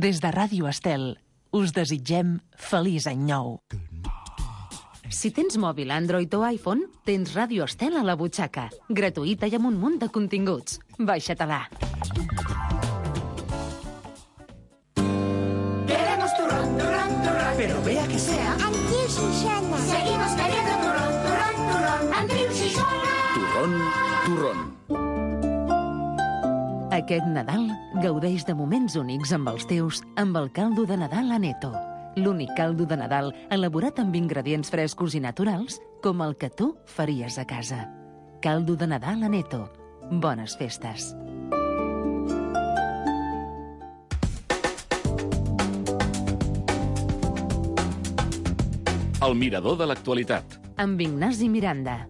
Des de Ràdio Estel, us desitgem feliç any nou. Si tens mòbil Android o iPhone, tens Ràdio Estel a la butxaca. Gratuïta i amb un munt de continguts. Baixa-te-la. Queremos turrón, turrón, turrón. Pero vea que sea Andreu Xixona. Seguimos queriendo turrón, turrón, turrón. Andreu Xixona. turrón, turrón. Aquest Nadal gaudeix de moments únics amb els teus amb el caldo de Nadal Aneto. L'únic caldo de Nadal elaborat amb ingredients frescos i naturals com el que tu faries a casa. Caldo de Nadal Aneto. Bones festes. El mirador de l'actualitat. Amb Ignasi Miranda.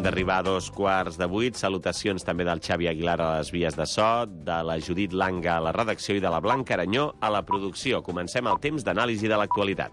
Arribar a 7:15. Salutacions també del Xavi Aguilar a les vies de so, de la Judit Langa a la redacció i de la Blanca Aranyó a la producció. Comencem el temps d'anàlisi de l'actualitat.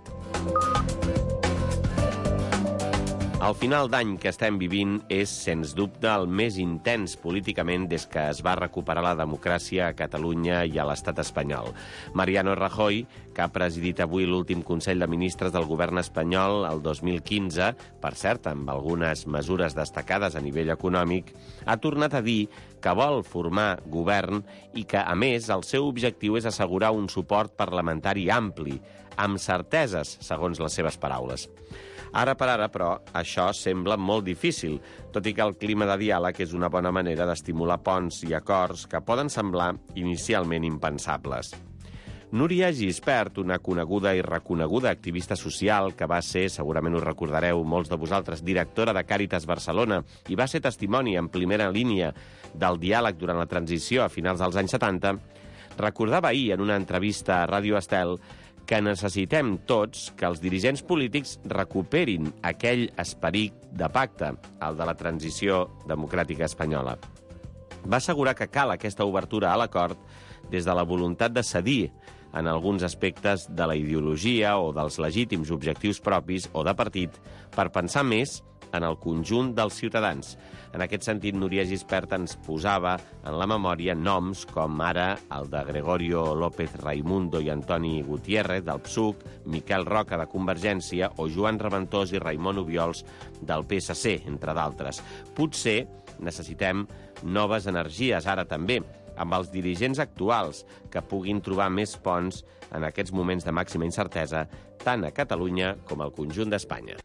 El final d'any que estem vivint és, sens dubte, el més intens políticament des que es va recuperar la democràcia a Catalunya i a l'estat espanyol. Mariano Rajoy, que ha presidit avui l'últim Consell de Ministres del govern espanyol el 2015, per cert, amb algunes mesures destacades a nivell econòmic, ha tornat a dir que vol formar govern i que, a més, el seu objectiu és assegurar un suport parlamentari ampli, amb certeses, segons les seves paraules. Ara per ara, però, això sembla molt difícil, tot i que el clima de diàleg és una bona manera d'estimular ponts i acords que poden semblar inicialment impensables. Núria Gispert, una coneguda i reconeguda activista social que va ser, segurament us recordareu molts de vosaltres, directora de Càritas Barcelona i va ser testimoni en primera línia del diàleg durant la transició a finals dels anys 70, recordava ahir en una entrevista a Ràdio Estel que necessitem tots que els dirigents polítics recuperin aquell esperit de pacte, el de la transició democràtica espanyola. Va assegurar que cal aquesta obertura a l'acord des de la voluntat de cedir en alguns aspectes de la ideologia o dels legítims objectius propis o de partit per pensar més en el conjunt dels ciutadans. En aquest sentit, Núria Gispert ens posava en la memòria noms com ara el de Gregorio López Raimundo i Antoni Gutiérrez, del PSUC, Miquel Roca, de Convergència, o Joan Reventós i Raimon Obiols, del PSC, entre d'altres. Potser necessitem noves energies, ara també, amb els dirigents actuals, que puguin trobar més ponts en aquests moments de màxima incertesa, tant a Catalunya com al conjunt d'Espanya.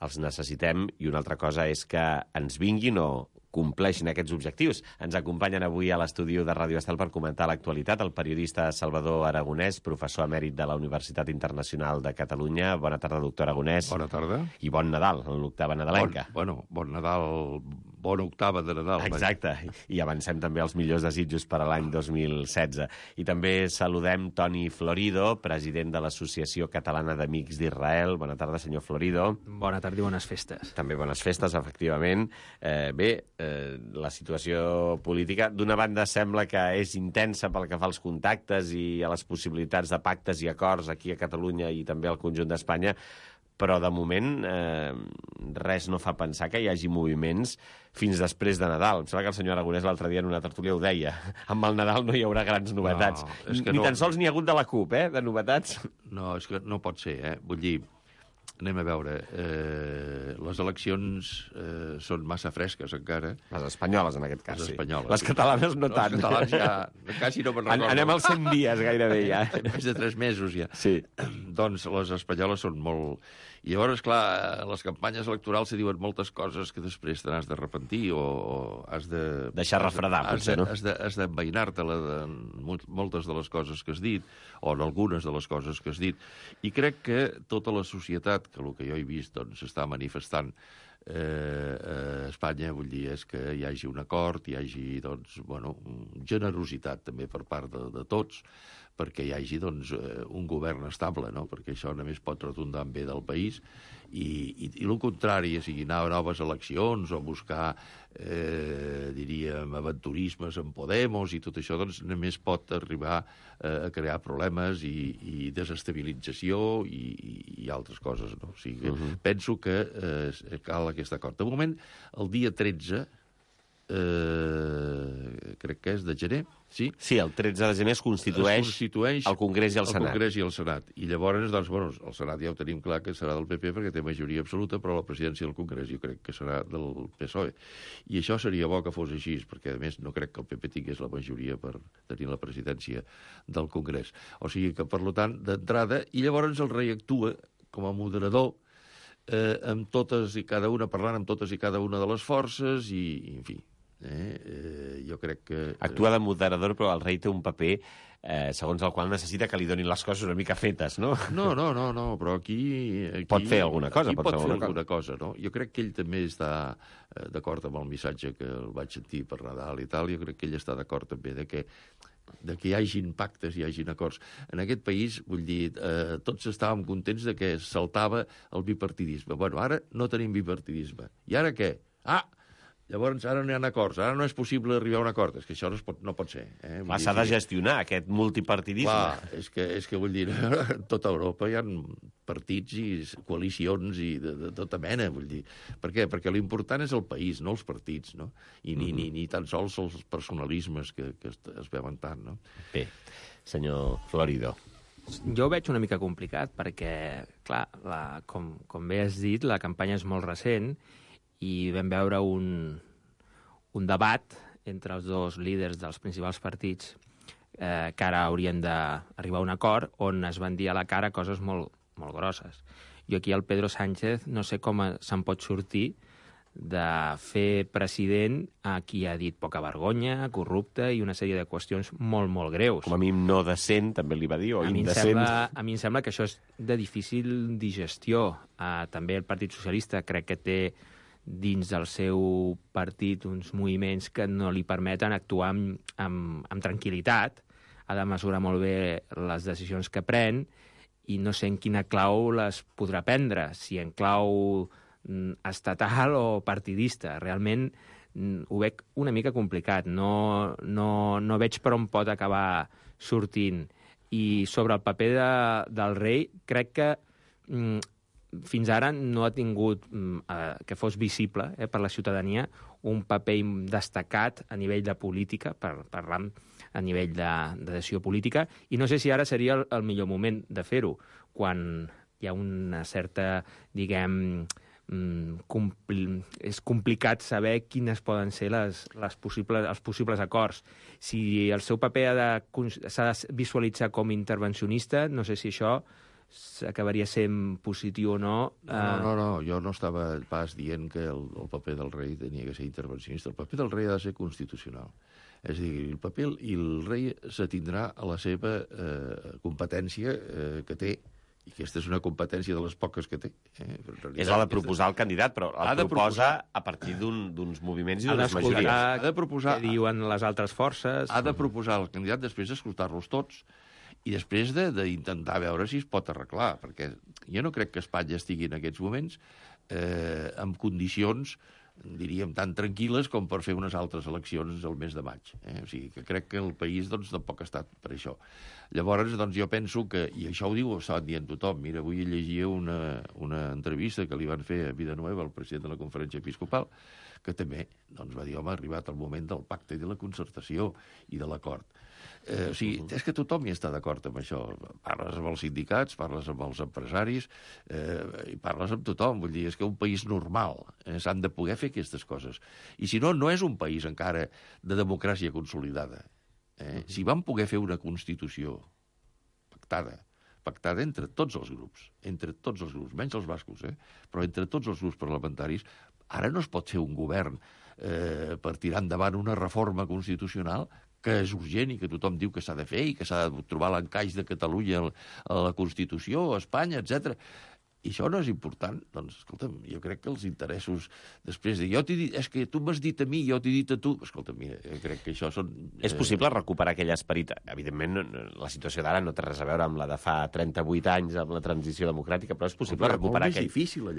Els necessitem, i una altra cosa és que ens vinguin o compleixin aquests objectius. Ens acompanyen avui a l'estudi de Ràdio Estel per comentar l'actualitat el periodista Salvador Aragonès, professor emèrit de la Universitat Internacional de Catalunya. Bona tarda, doctor Aragonès. Bona tarda. I bon Nadal, en l'octava nadalenca. Bon Nadal, bona octava de Nadal. Exacte, i avancem també els millors desitjos per a l'any 2016. I també saludem Toni Florido, president de l'Associació Catalana d'Amics d'Israel. Bona tarda, senyor Florido. Bona tarda i bones festes. També bones festes, efectivament. La situació política, d'una banda, sembla que és intensa pel que fa als contactes i a les possibilitats de pactes i acords aquí a Catalunya i també al conjunt d'Espanya, però de moment res no fa pensar que hi hagi moviments fins després de Nadal. Em sembla que el senyor Aragonès l'altre dia en una tertúlia ho deia. Amb el Nadal no hi haurà grans novetats. Ni tan sols n'hi ha hagut de la CUP, de novetats. No, és que no pot ser, Vull dir, anem a veure, les eleccions són massa fresques encara. Les espanyoles, en aquest cas, les espanyoles. Les catalanes no tant. Les catalanes ja quasi no me'n recordo. Anem als 100 dies gairebé ja. Més de 3 mesos ja. Sí. Doncs les espanyoles són molt... I llavors, clar, les campanyes electorals se diuen moltes coses que després te n'has de repentir o has de... Deixar refredar, potser, no? Has d'enveinar-te-la de moltes de les coses que has dit o en algunes de les coses que has dit. I crec que tota la societat, que el que jo he vist doncs, està manifestant a Espanya, vull dir, és que hi hagi un acord, hi hagi, doncs, bueno, generositat també per part de tots, perquè hi hagi, doncs, un govern estable, no? Perquè això només pot redundar en bé del país, i el contrari, o sigui, anar a noves eleccions o buscar, diríem, aventurismes en Podemos i tot això, doncs, només pot arribar a crear problemes i desestabilització i altres coses, no? O sigui, penso que cal aquest acord. De moment, el dia 13, crec que és de gener, sí? Sí, el 13 de gener es constitueix el Congrés i el Senat. El Congrés i el Senat. I llavors, doncs, bueno, el Senat ja ho tenim clar que serà del PP perquè té majoria absoluta, però la presidència del Congrés jo crec que serà del PSOE. I això seria bo que fos així, perquè, a més, no crec que el PP tingués la majoria per tenir la presidència del Congrés. O sigui que, per tant, d'entrada, i llavors el rei actua com a moderador amb totes i cada una, parlant amb totes i cada una de les forces i en fi, jo crec que... Actua de moderador, però el rei té un paper segons el qual necessita que li donin les coses una mica fetes, no? No, però aquí pot fer alguna cosa. Pot fer alguna cosa, no? Jo crec que ell també està d'acord amb el missatge que el vaig sentir per Nadal i tal, jo crec que ell està d'acord també de que hi hagin pactes, hi hagin acords. En aquest país, vull dir, tots estàvem contents de que saltava el bipartidisme. Bueno, ara no tenim bipartidisme. I ara què? Llavors, ara no hi ha acords, ara no és possible arribar a un acord. És que això no pot ser. S'ha de gestionar, aquest multipartidisme. Clar, és que vull dir, a tota Europa hi ha partits i coalicions i de tota mena, vull dir. Per què? Perquè l'important és el país, no els partits, no? I ni tan sols els personalismes que es veuen tant, no? Bé, senyor Florido. Jo ho veig una mica complicat, perquè, clar, com bé has dit, la campanya és molt recent i vam veure un debat entre els dos líders dels principals partits que ara haurien d'arribar a un acord on es van dir a la cara coses molt, molt grosses. Jo aquí el Pedro Sánchez no sé com se'n pot sortir de fer president a qui ha dit poca vergonya, corrupte i una sèrie de qüestions molt, molt greus. Com a mínim no decent, també li va dir, o indecent. A mi em sembla que això és de difícil digestió. També el Partit Socialista crec que té dins del seu partit uns moviments que no li permeten actuar amb tranquil·litat, ha de mesurar molt bé les decisions que pren i no sé en quina clau les podrà prendre, si en clau estatal o partidista. Realment ho veig una mica complicat, no veig per on pot acabar sortint. I sobre el paper del rei, crec que fins ara no ha tingut que fos visible per la ciutadania un paper destacat a nivell de política, parlant a nivell de decisió política, i no sé si ara seria el millor moment de fer-ho, quan hi ha una certa, diguem, és complicat saber quines poden ser els possibles acords. Si el seu paper s'ha de visualitzar com intervencionista, no sé si això acabaria sent positiu o no. No, jo no estava pas dient que el paper del rei tenia que ser intervencionista. El paper del rei ha de ser constitucional. És a dir, el rei s'atindrà a la seva competència que té, i aquesta és una competència de les poques que té. És la de proposar el candidat, però el proposa a partir d'uns moviments i d'unes majories. Ha de proposar què diuen les altres forces. Ha de proposar el candidat, després d'escoltar-los tots, i després d'intentar veure si es pot arreglar, perquè jo no crec que Espanya estigui en aquests moments en condicions, diríem, tan tranquil·les com per fer unes altres eleccions el mes de maig. O sigui, que crec que el país tampoc ha estat per això. Llavors, jo penso que, i això ho diu, ho estaven dient tothom, mira, avui llegia una entrevista que li van fer a Villanueva, el president de la Conferència Episcopal, que també va dir, home, ha arribat el moment del pacte i de la concertació i de l'acord. O sigui, és que tothom hi està d'acord amb això. Parles amb els sindicats, parles amb els empresaris, i parles amb tothom. Vull dir, és que un país normal s'han de poder fer aquestes coses. I si no, no és un país encara de democràcia consolidada. Si vam poder fer una Constitució pactada entre tots els grups, menys els bascos, però entre tots els grups parlamentaris, ara no es pot fer un govern per tirar endavant una reforma constitucional que és urgent i que tothom diu que s'ha de fer i que s'ha de trobar l'encaix de Catalunya a la Constitució, a Espanya, etc. I això no és important. Doncs, escolta'm, jo crec que els interessos... Després de... Jo t'he dit... És que tu m'has dit a mi, jo t'he dit a tu... Escolta'm, mira, jo crec que això són... És possible recuperar aquell esperit? Evidentment, la situació d'ara no té res a veure amb la de fa 38 anys, amb la transició democràtica, però és possible recuperar aquell...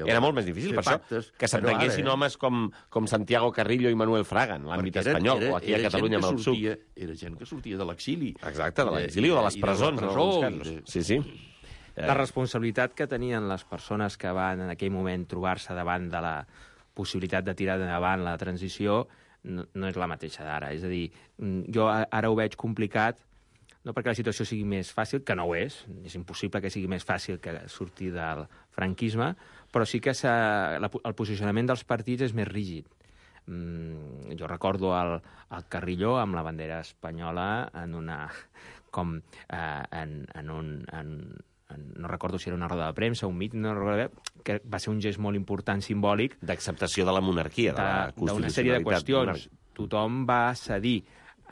Era molt més difícil, per això, que s'entenguessin homes com Santiago Carrillo i Manuel Fraga, en l'àmbit espanyol, o aquí a Catalunya amb el PSUC. Era gent que sortia de l'exili. Exacte, de l'exili o de les presons, en alguns casos. Sí. La responsabilitat que tenien les persones que van en aquell moment trobar-se davant de la possibilitat de tirar endavant la transició no és la mateixa d'ara. És a dir, jo ara ho veig complicat, no perquè la situació sigui més fàcil, que no ho és impossible que sigui més fàcil que sortir del franquisme, però sí que el posicionament dels partits és més rígid. Jo recordo el Carrillo amb la bandera espanyola en una... com no recordo si era una roda de premsa, un míting, no recordo, que va ser un gest molt important, simbòlic... D'acceptació de la monarquia, de la constitucionalitat. D'una sèrie de qüestions. Tothom va cedir.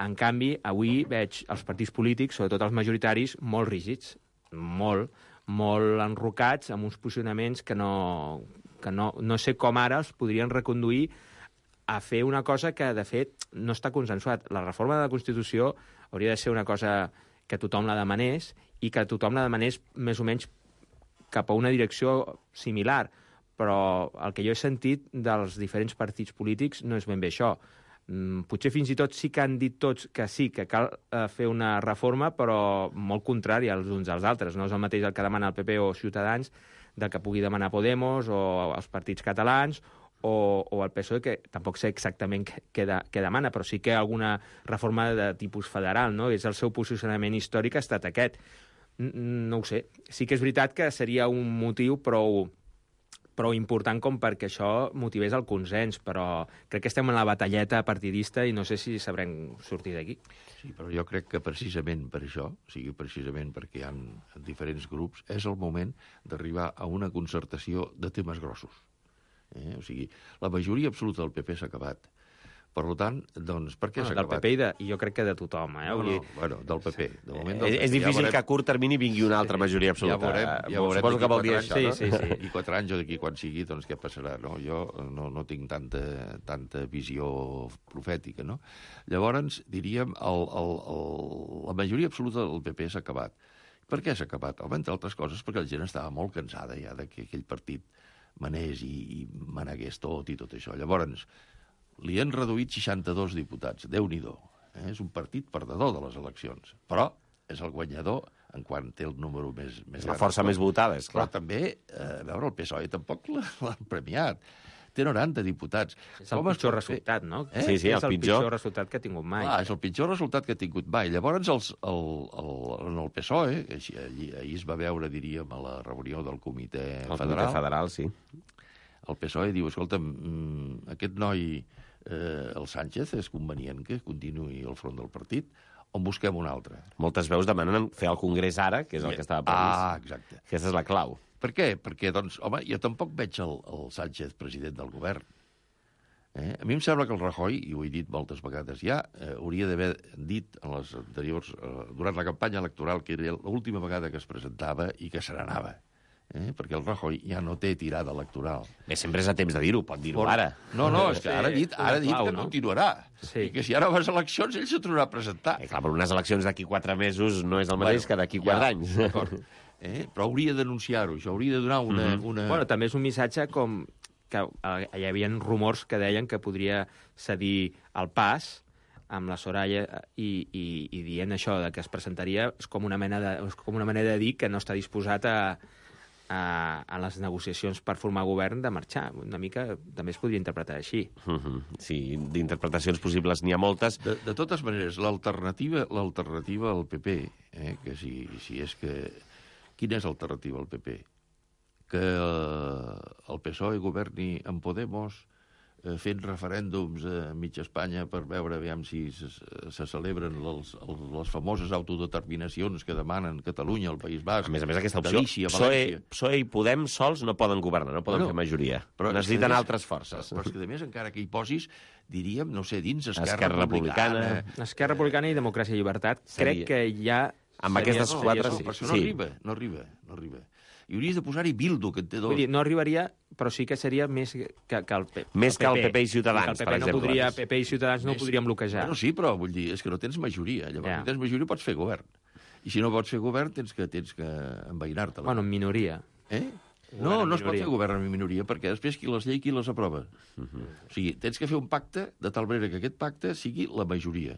En canvi, avui veig els partits polítics, sobretot els majoritaris, molt rígids, molt enrocats, amb uns posicionaments que no sé com ara els podrien reconduir a fer una cosa que, de fet, no està consensuat. La reforma de la Constitució hauria de ser una cosa que tothom la demanés i que tothom la demanés més o menys cap a una direcció similar. Però el que jo he sentit dels diferents partits polítics no és ben bé això. Potser fins i tot sí que han dit tots que sí, que cal fer una reforma, però molt contrària els uns als altres. No és el mateix el que demana el PP o Ciutadans del que pugui demanar Podemos o els partits catalans o el PSOE, que tampoc sé exactament què demana, però sí que alguna reforma de tipus federal, no? És el seu posicionament històric ha estat aquest. No ho sé. Sí que és veritat que seria un motiu prou important com perquè això motivés el consens, però crec que estem en la batalleta partidista i no sé si sabrem sortir d'aquí. Sí, però jo crec que precisament per això, o sigui, precisament perquè hi ha diferents grups, és el moment d'arribar a una concertació de temes grossos. O sigui, la majoria absoluta del PP s'ha acabat. Per tant, doncs, per què s'ha acabat? Del PP i jo crec que de tothom. Bueno, del PP. De moment és difícil que a curt termini vingui una altra majoria absoluta. Ja veurem Suposo que vol dir això, no? Sí. I 4 anys o d'aquí quan sigui, doncs què passarà? No? Jo no tinc tanta visió profètica, no? Llavors, diríem, la majoria absoluta del PP s'ha acabat. Per què s'ha acabat? Home, entre altres coses, perquè la gent estava molt cansada ja que aquell partit manés i manegués tot i tot això. Llavors, li han reduït 62 diputats. Déu-n'hi-do. És un partit perdedor de les eleccions. Però és el guanyador en quan té el número més gran. La força més votada, és clar. Però també, a veure, el PSOE tampoc l'han premiat. Té 90 diputats. És el pitjor resultat, no? Sí, és el pitjor resultat que ha tingut mai. És el pitjor resultat que ha tingut mai. Llavors, en el PSOE, ahir es va veure, diríem, a la reunió del Comitè Federal. El Comitè Federal, sí. El PSOE diu, escolta'm, aquest noi, el Sánchez, és convenient que continuï al front del partit, o en busquem un altre? Moltes veus demanen fer el Congrés ara, que és el que estava previst. Exacte. Aquesta és la clau. Per què? Perquè, doncs, home, jo tampoc veig el Sánchez president del govern. A mi em sembla que el Rajoy, i ho he dit moltes vegades ja, hauria d'haver dit en les anteriors, durant la campanya electoral, que era l'última vegada que es presentava i que se n'anava. Perquè el Rajoy ja no té tirada electoral. Bé, sempre és a temps de dir-ho, pot dir-ho ara. No, és que ara ha dit que continuarà. I que si ara vas a eleccions, ell se tornarà a presentar. Clar, però unes eleccions d'aquí 4 mesos no és el mateix que d'aquí 4 anys. D'acord. Però hauria d'anunciar-ho, això hauria de donar una... Bueno, també és un missatge com que hi havia rumors que deien que podria cedir el pas amb la Soraya i dient això de que es presentaria és com una manera de dir que no està disposat a les negociacions per formar govern de marxar. Una mica també es podria interpretar així. Sí, d'interpretacions possibles n'hi ha moltes. De totes maneres, l'alternativa al PP, que si és que... Quina és l'alternativa al PP? Que el PSOE governi amb Podemos fent referèndums a mitja Espanya per veure aviam si se celebren les famoses autodeterminacions que demanen Catalunya, el País Basc, a més, aquesta opció, Galícia, València... PSOE i Podem sols no poden governar, no poden fer majoria. Però necessiten altres forces. Però és que, a més, encara que hi posis, diríem, no sé, dins Esquerra Republicana... Esquerra Republicana i Democràcia i Llibertat, crec que ja... Amb aquestes 4... Però no arriba. I hauries de posar-hi Bildu, que en té dos. Vull dir, no arribaria, però sí que seria més que el PP. Més que el PP i Ciutadans, el per exemple. PP i Ciutadans no ho podrien bloquejar. Bueno, sí, però vull dir, és que no tens majoria. Llavors, no tens majoria, pots fer govern. I si no pots fer govern, tens que envainar-te-la. Bueno, en minoria. No es pot fer govern en minoria, perquè després qui les aprova. O sigui, tens que fer un pacte de tal manera que aquest pacte sigui la majoria.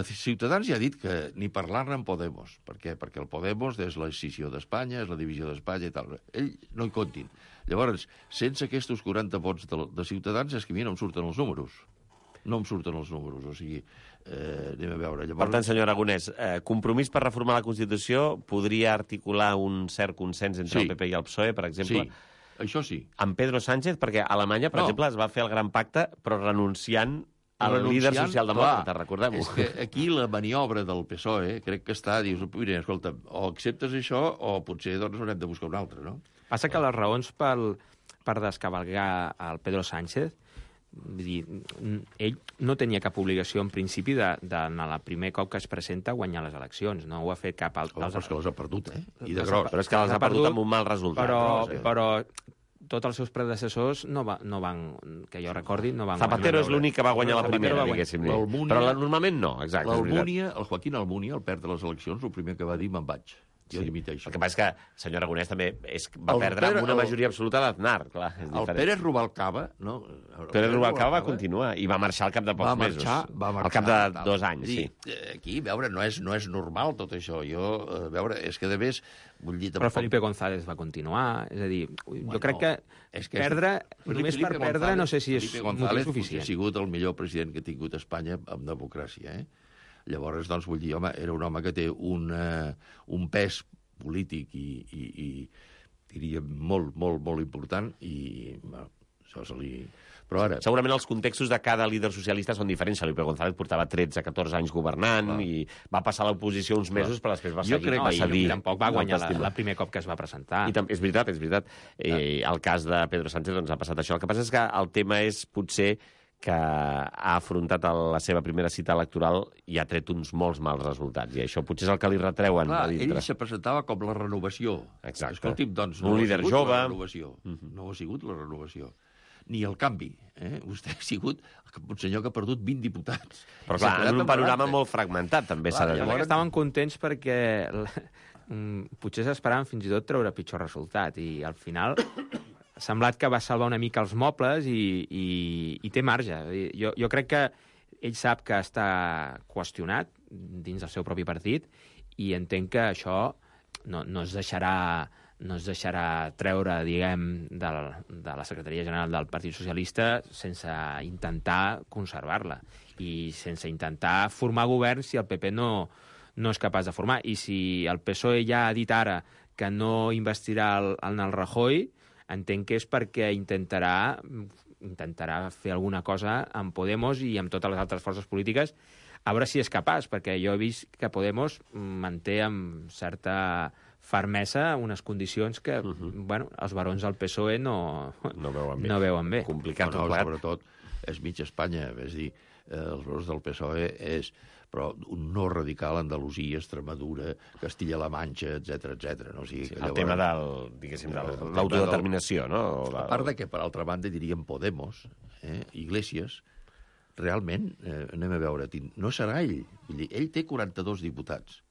Ciutadans ja ha dit que ni parlar-ne amb Podemos. Per què? Perquè el Podemos és la escissió d'Espanya, és la divisió d'Espanya i tal. Ell no hi comptin. Llavors, sense aquests 40 vots de Ciutadans, és que a mi no em surten els números. No em surten els números, o sigui, anem a veure. Llavors... Per tant, senyor Aragonès, Compromís per reformar la Constitució podria articular un cert consens entre el PP i el PSOE, per exemple? Sí, això sí. Amb Pedro Sánchez, perquè a Alemanya, per exemple, es va fer el gran pacte, però renunciant al líder socialdemòcrata, recordem-ho. És que aquí la maniobra del PSOE crec que està, dius, mira, escolta, o acceptes això o potser doncs haurem de buscar un altre, no? Passa que les raons per descavalgar el Pedro Sánchez, vull dir, ell no tenia cap obligació en principi d'anar el primer cop que es presenta a guanyar les eleccions, no ho ha fet cap altre. Però és que les ha perdut, I de gros. Però és que les ha perdut amb un mal resultat. Però tots els seus predecessors no van, que jo recordi, no van Zapatero és l'únic que va guanyar la primera, diguéssim. Però normalment no, exacte. El Joaquín Almunia, al perdre les eleccions, el primer que va dir, me'n vaig. Jo dimiteixo. El que passa és que, senyor Aragonès, també va perdre amb una majoria absoluta l'Aznar, clar. El Pérez Rubalcaba, no? Pérez Rubalcaba va continuar i va marxar al cap de pocs mesos. Va marxar. Al cap de 2 anys, sí. Aquí, veure, no és normal tot això. Veure, és que de més... Però Felipe González va continuar, és a dir, jo crec que perdre, només per perdre, no sé si és motiu suficient. Ha sigut el millor president que ha tingut Espanya amb democràcia, Llavors, doncs, vull dir, home, era un home que té un pes polític i diria molt, molt, molt important i això se li... Però ara... Segurament els contextos de cada líder socialista són diferents. Felipe González portava 13-14 anys governant i va passar a l'oposició uns mesos, però després va seguir. Tampoc va guanyar el primer cop que es va presentar. És veritat. El cas de Pedro Sánchez doncs, ha passat això. El que passa és que el tema és potser que ha afrontat la seva primera cita electoral i ha tret uns molts mals resultats. I això potser és el que li retreuen a dintre. Ell se presentava com la renovació. Exacte. Escolti'm, doncs, un líder jove. No ha sigut la renovació. Ni el canvi. Vostè ha sigut un senyor que ha perdut 20 diputats. Però clar, en un panorama molt fragmentat, també s'ha de dir. Estaven contents perquè potser s'esperaven fins i tot treure pitjor resultat. I al final... ha semblat que va salvar una mica els mobles i té marge. Jo crec que ell sap que està qüestionat dins del seu propi partit i entenc que això no es deixarà treure, diguem, de la secretaria general del Partit Socialista sense intentar conservar-la i sense intentar formar govern si el PP no és capaç de formar. I si el PSOE ja ha dit ara que no investirà en el Rajoy, entenc que és perquè intentarà fer alguna cosa amb Podemos i amb totes les altres forces polítiques, a veure si és capaç, perquè jo he vist que Podemos manté amb certa fermesa unes condicions que els barons del PSOE no veuen bé. Complicat. Sobretot és mig Espanya, és dir, els barons del PSOE és però un no radical a Andalusia, Extremadura, Castilla-La Manxa, etc. No? O sigui, el tema de l'autodeterminació, no? A part de que, per altra banda, diríem Podemos, Iglesias, realment, anem a veure, no serà ell. Vull dir, ell té 42 diputats.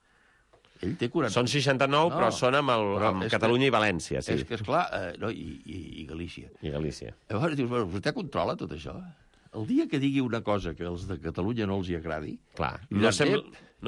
Ell té 42. Són 69, però són amb Catalunya i València, sí. És que, esclar, i Galícia. I Galícia. Llavors dius, vostè controla tot això? El dia que digui una cosa que els de Catalunya no els hi agradi... Clar, no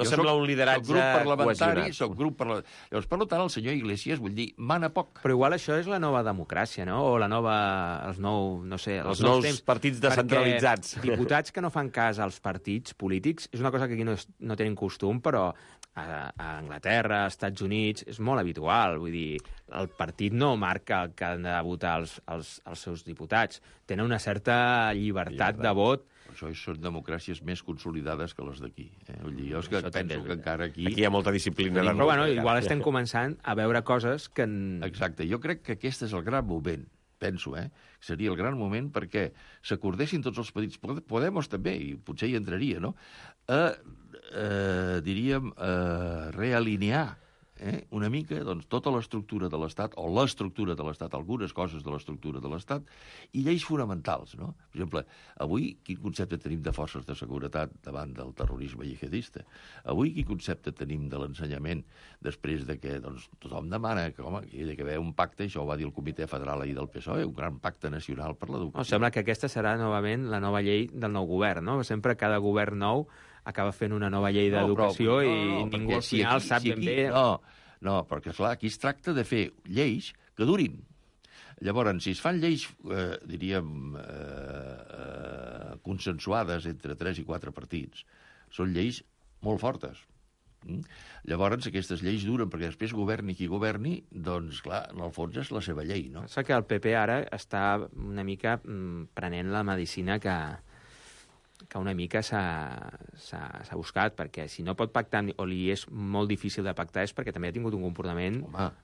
sembla un lideratge cohesionat. Soc grup parlamentari. Llavors, per tant, el senyor Iglesias, vull dir, mana poc. Però igual això és la nova democràcia, no? O els nous partits descentralitzats. Perquè diputats que no fan cas als partits polítics és una cosa que aquí no tenen costum, però a Anglaterra, als Estats Units, és molt habitual. Vull dir, el partit no marca que han de votar els seus diputats. Tenen una certa llibertat de vot. Això són democràcies més consolidades que les d'aquí. Vull dir, jo és que penso que encara aquí... Aquí hi ha molta disciplina. Però bueno, igual estem començant a veure coses que... Exacte, jo crec que aquest és el gran moment, penso, seria el gran moment perquè s'acordessin tots els partits, Podemos també, i potser hi entraria, no?, diríem, realinear una mica doncs, tota l'estructura de l'Estat, o l'estructura de l'Estat, algunes coses de l'estructura de l'Estat, i lleis fonamentals, no? Per exemple, avui quin concepte tenim de forces de seguretat davant del terrorisme jihadista? Avui quin concepte tenim de l'ensenyament després de que doncs, tothom demana que, home, hi ha d'haver un pacte, això ho va dir el Comitè Federal ahir del PSOE, un gran pacte nacional per l'educació. Sembla que aquesta serà novament la nova llei del nou govern, no? Sempre cada govern nou acaba fent una nova llei d'educació i ningú al final sap ben bé... No, perquè, esclar, aquí es tracta de fer lleis que durin. Llavors, si es fan lleis, diríem, consensuades entre 3 i 4 partits, són lleis molt fortes. Llavors, aquestes lleis duren, perquè després governi qui governi, doncs, clar, en el fons és la seva llei, no? Pensa que el PP ara està una mica prenent la medicina que una mica s'ha buscat, perquè si no pot pactar o li és molt difícil de pactar és perquè també ha tingut un comportament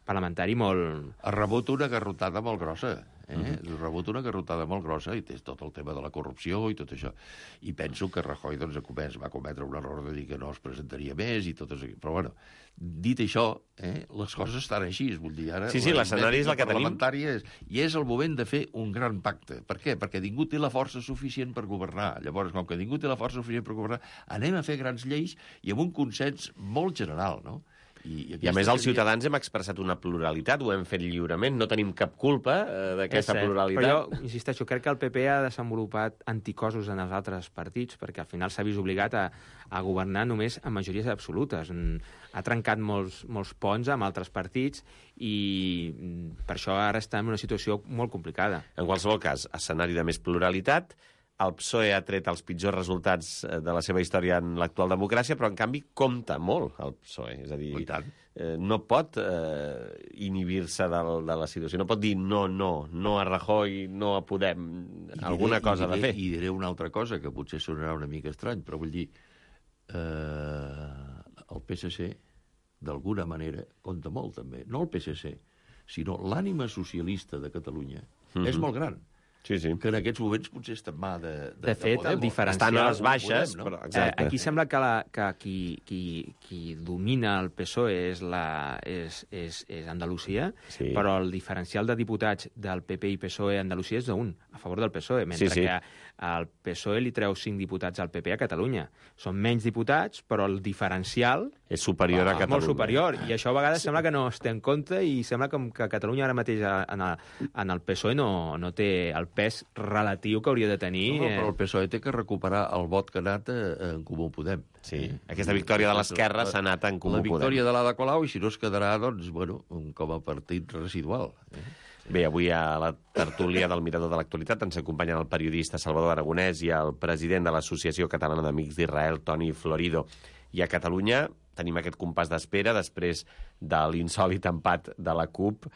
parlamentari molt... Ha rebut una garrotada molt grossa, Ha rebut una garrotada molt grossa i té tot el tema de la corrupció i tot això. I penso que Rajoy doncs, va cometre un error de dir que no es presentaria més i tot això. Però, bueno, dit això, les coses estan així. Vull dir, ara sí, l'escenari és el que tenim. I és el moment de fer un gran pacte. Per què? Perquè ningú té la força suficient per governar. Llavors, com que ningú té la força suficient per governar, anem a fer grans lleis i amb un consens molt general, no? I a més, els ciutadans hem expressat una pluralitat, ho hem fet lliurement, no tenim cap culpa d'aquesta pluralitat. Però jo, insisteixo, crec que el PP ha desenvolupat anticossos en els altres partits, perquè al final s'ha vist obligat a governar només amb majories absolutes. Ha trencat molts ponts amb altres partits i per això ara està en una situació molt complicada. En qualsevol cas, escenari de més pluralitat, el PSOE ha tret els pitjors resultats de la seva història en l'actual democràcia, però, en canvi, compta molt el PSOE. És a dir, no pot inhibir-se de la situació. No pot dir no a Rajoy, no a Podem. Alguna cosa ha de fer. I diré una altra cosa, que potser sonarà una mica estrany, però vull dir, el PSC, d'alguna manera, compta molt, també. No el PSC, sinó l'ànima socialista de Catalunya és molt gran. Sí. Que en aquests moments potser està en mà de fet, el diferencial... Estan a les baixes, Podem, no? però... Exacte. Aquí sembla que qui domina el PSOE és Andalusia, sí. Però el diferencial de diputats del PP i PSOE a Andalusia és d'un, a favor del PSOE, mentre que el PSOE li treu 5 diputats al PP a Catalunya. Són menys diputats, però el diferencial... És superior a Catalunya. Molt superior, i això a vegades sembla que no es té en compte i sembla que Catalunya ara mateix en el PSOE no té el pes relatiu que hauria de tenir. No, però el PSOE té que recuperar el vot que ha anat en Comú Podem. Sí, aquesta victòria de l'esquerra s'ha anat en Comú Podem. La victòria de l'Ada Colau, i si no es quedarà, doncs, bueno, com a partit residual. Bé, avui a la tertúlia del Mirador de l'Actualitat ens acompanyen el periodista Salvador Aragonès i el president de l'Associació Catalana d'Amics d'Israel, Toni Florido. I a Catalunya tenim aquest compàs d'espera després de l'insòlit empat de la CUP.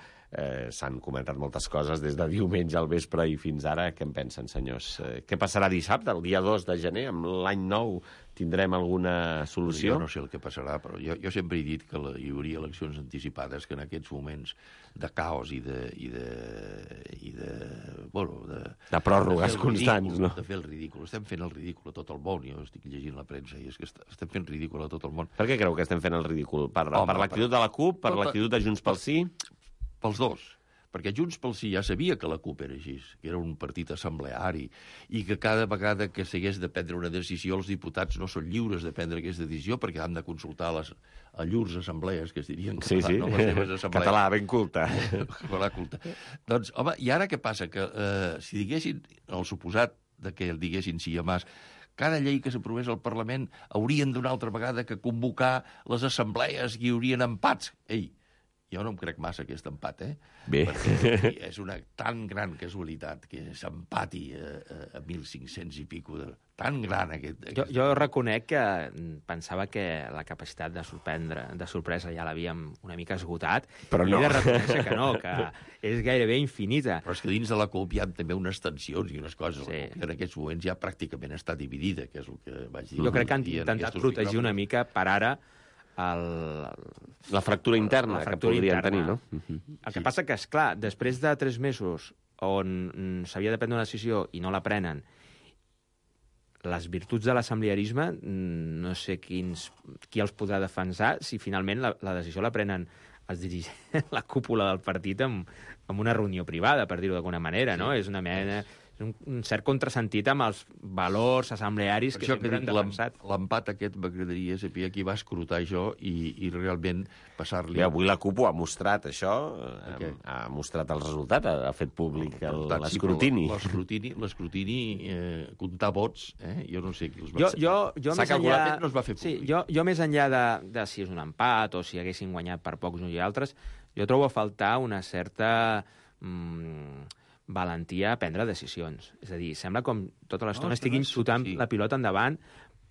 S'han comentat moltes coses des de diumenge al vespre i fins ara. Què en pensen, senyors? Què passarà dissabte, el dia 2 de gener, amb l'any nou? Tindrem alguna solució? Jo no sé el que passarà, però jo sempre he dit que hi hauria eleccions anticipades, que en aquests moments de caos i de pròrrogues constants, no? De fer el ridícul. Estem fent el ridícul a tot el món. Jo estic llegint la premsa i és que estem fent ridícul a tot el món. Per què creu que estem fent el ridícul? Per l'actitud de la CUP? Per l'actitud de Junts pel Sí? Pels dos. Perquè Junts pel Sí ja sabia que la CUP era així, que era un partit assembleari, i que cada vegada que s'hagués de prendre una decisió els diputats no són lliures de prendre aquesta decisió perquè han de consultar a llurs assemblees, que es dirien català, sí. No? Les seves assemblees. Català, ben culta. Català culta. Doncs, home, i ara què passa? Que si diguessin, el suposat de que el diguessin sí a Mas, cada llei que s'aprovés al Parlament haurien d'una altra vegada que convocar les assemblees i hi haurien empats. Ei, jo no em crec massa aquest empat, Bé. Perquè és una tan gran casualitat que s'empati a 1.500 i pico. Tan gran aquest... Jo reconec que pensava que la capacitat de sorpresa ja l'havíem una mica esgotat, però no. I he de reconèixer que no, que és gairebé infinita. Però és que dins de la CUP hi ha també unes tensions i unes coses. Sí. Que en aquests moments ja pràcticament està dividida, que és el que vaig dir. Jo crec que han intentat protegir una mica per ara la fractura interna que podrien tenir, no? El que passa que, esclar, després de 3 mesos on s'havia de prendre una decisió i no la prenen, les virtuts de l'assemblearisme no sé qui els podrà defensar si finalment la decisió la prenen els dirigents, la cúpula del partit en una reunió privada, per dir-ho d'alguna manera, no? És una mena... un cert contrasentit amb els valors assemblearis que sempre han defensat. L'empat aquest m'agradaria saber qui va escrutar això i realment passar-li... Bé, avui la CUP ho ha mostrat, això, ha mostrat el resultat, ha fet públic l'escrutini. L'escrutini, comptar vots, jo no sé qui els va fer. Jo S'ha calculat, no es va fer públic. Sí, jo més enllà de si és un empat o si haguessin guanyat per pocs uns i altres, jo trobo a faltar una certa... valentia a prendre decisions. És a dir, sembla com tota l'estona estiguin xutant la pilota endavant,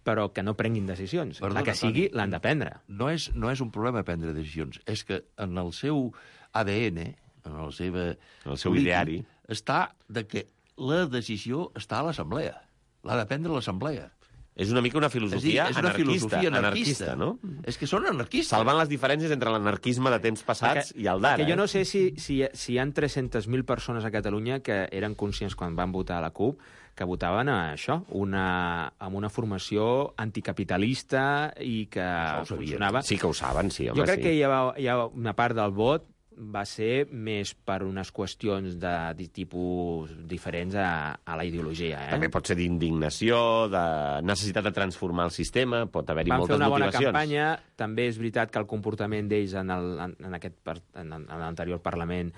però que no prenguin decisions. La que sigui, l'han de prendre. No és un problema prendre decisions, és que en el seu ADN, en el seu ideari, està de que la decisió està a l'Assemblea. L'ha de prendre l'Assemblea. És una mica una filosofia anarquista, no? És que són anarquistes. Salvant les diferències entre l'anarquisme de temps passats i el d'ara. Que jo no sé si hi ha 300.000 persones a Catalunya que eren conscients quan van votar a la CUP que votaven a això, amb una formació anticapitalista i que funcionava. Sí que ho saben, sí, home, jo crec que hi ha una part del vot va ser més per unes qüestions de tipus diferents a la ideologia. També pot ser d'indignació, de necessitat de transformar el sistema, pot haver-hi moltes motivacions. Van fer una bona campanya, també és veritat que el comportament d'ells en l'anterior Parlament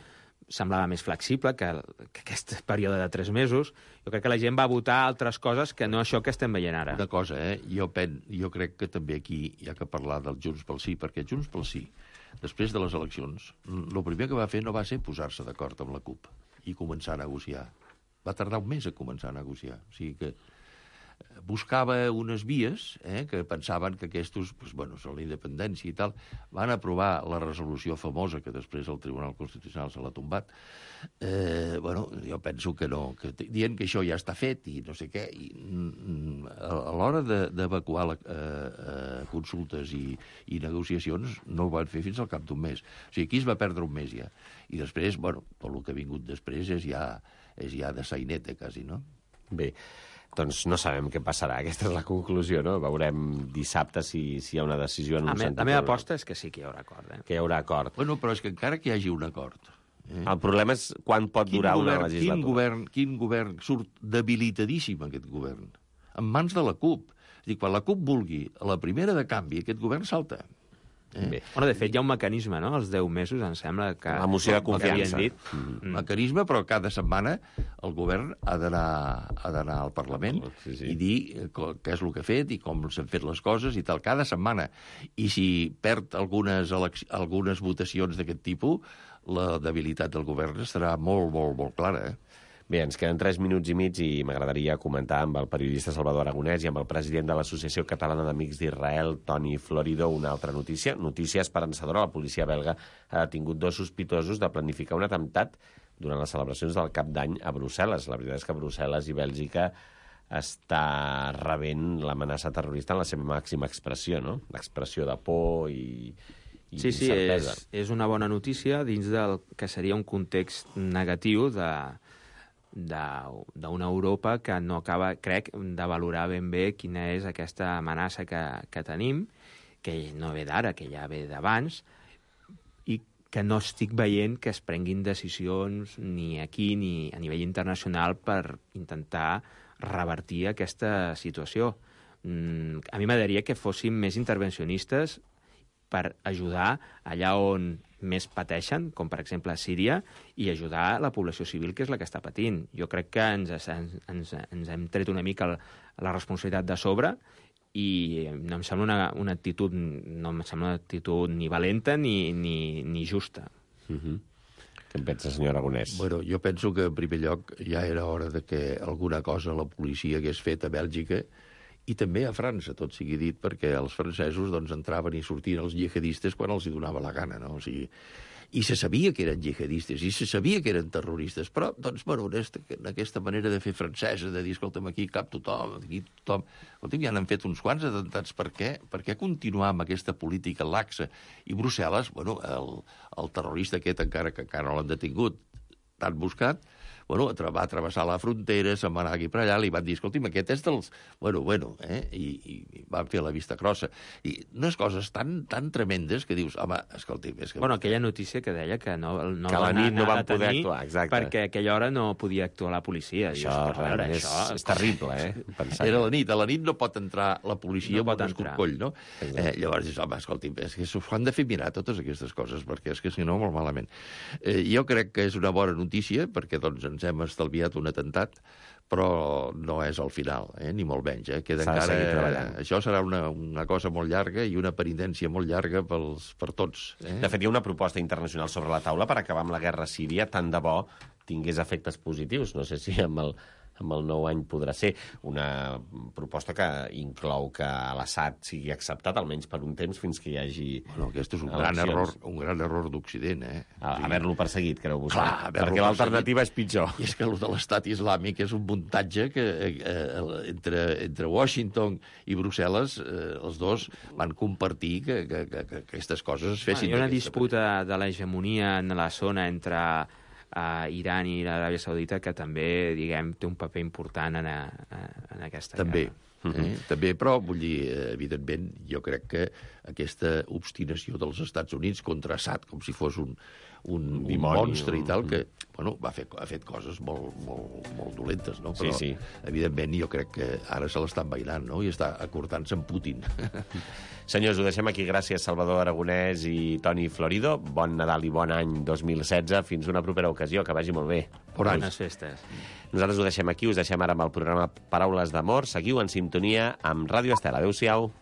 semblava més flexible que aquest període de 3 mesos. Jo crec que la gent va votar altres coses que no això que estem veient ara. Una cosa, jo crec que també aquí hi ha que parlar del Junts pel Sí, perquè Junts pel Sí, després de les eleccions, el primer que va fer no va ser posar-se d'acord amb la CUP i començar a negociar. Va tardar un mes a començar a negociar. O sigui que buscava unes vies que pensaven que aquests, són la independència i tal, van aprovar la resolució famosa que després el Tribunal Constitucional se l'ha tombat. Jo penso que no, dient que això ja està fet i no sé què, i a l'hora d'evacuar consultes i negociacions no ho van fer fins al cap d'un mes. O sigui, aquí es va perdre un mes ja. I després, tot el que ha vingut després és ja de sainete, quasi, no? Bé, doncs no sabem què passarà. Aquesta és la conclusió, no? Veurem dissabte si hi ha una decisió en un sentit. La meva aposta és que sí que hi haurà acord. Que hi haurà acord. Però és que encara que hi hagi un acord... El problema és quan pot durar una legislatura. Quin govern surt debilitadíssim, aquest govern? En mans de la CUP. És a dir, quan la CUP vulgui a la primera de canvi, aquest govern salta. De fet, hi ha un mecanisme, no? Els 10 mesos, em sembla que... La moció de confiança. Mecanisme, però cada setmana el govern ha d'anar al Parlament i dir què és el que ha fet i com s'han fet les coses i tal, cada setmana. I si perd algunes votacions d'aquest tipus, la debilitat del govern estarà molt, molt, molt clara, Bé, ens queden 3 minuts i mig i m'agradaria comentar amb el periodista Salvador Aragonès i amb el president de l'Associació Catalana d'Amics d'Israel, Toni Florido, una altra notícia. Notícia esperançadora. La policia belga ha detingut 2 sospitosos de planificar un atemptat durant les celebracions del Cap d'Any a Brussel·les. La veritat és que Brussel·les i Bèlgica està rebent l'amenaça terrorista en la seva màxima expressió, no? L'expressió de por i incertesa. Sí, és una bona notícia dins del que seria un context negatiu d'una Europa que no acaba, crec, de valorar ben bé quina és aquesta amenaça que tenim, que no ve d'ara, que ja ve d'abans, i que no estic veient que es prenguin decisions ni aquí ni a nivell internacional per intentar revertir aquesta situació. A mi m'agradaria que fóssim més intervencionistes per ajudar allà on més pateixen, com per exemple a Síria, i ajudar la població civil, que és la que està patint. Jo crec que ens hem tret una mica la responsabilitat de sobre i no em sembla una actitud ni valenta ni justa. Què en pensa, senyor Aragonès? Jo penso que, en primer lloc, ja era hora de que alguna cosa la policia hagués fet a Bèlgica i també a França, tot sigui dit, perquè els francesos entraven i sortien els jihadistes quan els hi donava la gana, no? O sigui, i se sabia que eren jihadistes, i se sabia que eren terroristes, però, en aquesta manera de fer francesa, de dir, escolta'm, aquí cap tothom, aquí tothom... Escolta'm, ja n'han fet uns quants atemptats, per què? Per què continuar amb aquesta política laxa? I Brussel·les, el terrorista aquest, encara que encara no l'han detingut, tan buscat, va travessar la frontera, se'n va anar aquí per allà, li van dir, escolti'm, aquest és dels... I van fer la vista grossa. I unes coses tan tremendes que dius, home, escolti'm... És que... Bueno, aquella notícia que deia que no que a la nit no van poder actuar, exacte. Perquè a aquella hora no podia actuar la policia. Això és terrible, pensar. Era a la nit no pot entrar la policia no amb un escorcoll, no? Llavors dius, home, escolti'm, és que s'ho han de fer mirar totes aquestes coses, perquè és que si no, molt malament. Jo crec que és una bona notícia, perquè doncs ens hem estalviat un atemptat, però no és el final, ni molt menys. Queda encara... Això serà una cosa molt llarga i una penitència molt llarga per tots. De fet, hi ha una proposta internacional sobre la taula per acabar amb la guerra a Síria, tant de bo tingués efectes positius. No sé si amb el nou any podrà ser una proposta que inclou que l'Assad sigui acceptat, almenys per un temps, fins que hi hagi aquest és un gran error d'Occident, Haver-lo perseguit, creu vostè? Clar, perquè l'alternativa és pitjor. I és que el de l'Estat Islàmic és un muntatge que entre Washington i Brussel·les, els dos van compartir que aquestes coses es fessin. Hi ha una disputa de l'hegemonia en la zona entre Iran i l'Aràbia Saudita que també, diguem, té un paper important en aquesta guerra. També, però, vull dir, evidentment, jo crec que aquesta obstinació dels Estats Units contra Assad, com si fos un monstre i tal, que ha fet coses molt dolentes, no? Però, evidentment, jo crec que ara se l'està envainant, no? I està acordant-se amb Putin. Senyors, ho deixem aquí. Gràcies, Salvador Aragonès i Toni Florido. Bon Nadal i bon any 2016. Fins una propera ocasió. Que vagi molt bé. Bones festes. Nosaltres ho deixem aquí. Us deixem ara amb el programa Paraules d'Amor. Seguiu en sintonia amb Ràdio Estel. Adéu-siau.